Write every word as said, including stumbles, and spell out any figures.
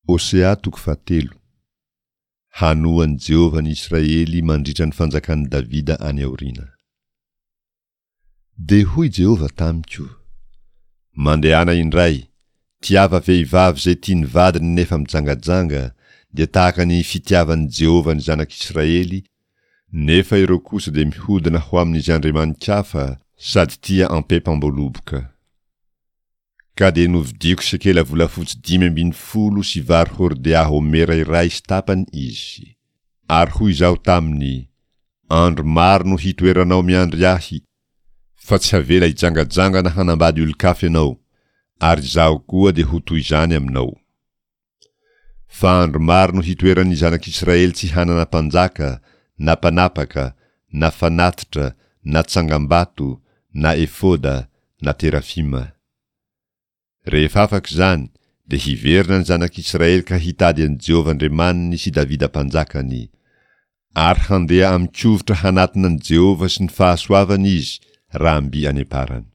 Hosea toko fahatelo. Hanoa an'i Jehovah ny Israely mandritra ny fanjakan'i Davida any aoriana. Dia hoy Jehovah tamiko, Mandehana indray, tiava vehivavy izay tia ny vadiny nefa mijangajanga, dia tahaka ny fitiavan'i Jehovah ny zanak'Israely, nefa ireo kosa dia mihodina ho amin'izay andriamani-kafa sady tia ampempam-boaloboka. Ka dia novidiako sekela volafotsy dimy ambin'ny folo sy vary hordea homera iray sy tapany izy. Ary hoy izaho taminy, Andro maro no hitoeranao miandry ahy, fa tsy havela hijangajanga na hanambady olon-kafa ianao, ary izaho koa dia ho toy izany aminao. Fa andro maro no hitoeran'ny zanak'Israely tsy hanana mpanjaka, na mpanapaka, na fanatitra, na tsangambato, na efoda, na terafima. Rehefa afaka izany, dia hiverina ny zanak'Israely ka hitady an'i Jehovah Andriamaniny sy Davida mpanjakany. Ary handeha amin-kovitra hanatona an'i Jehovah sy ny fahasoavany izy raha mby any am-parany.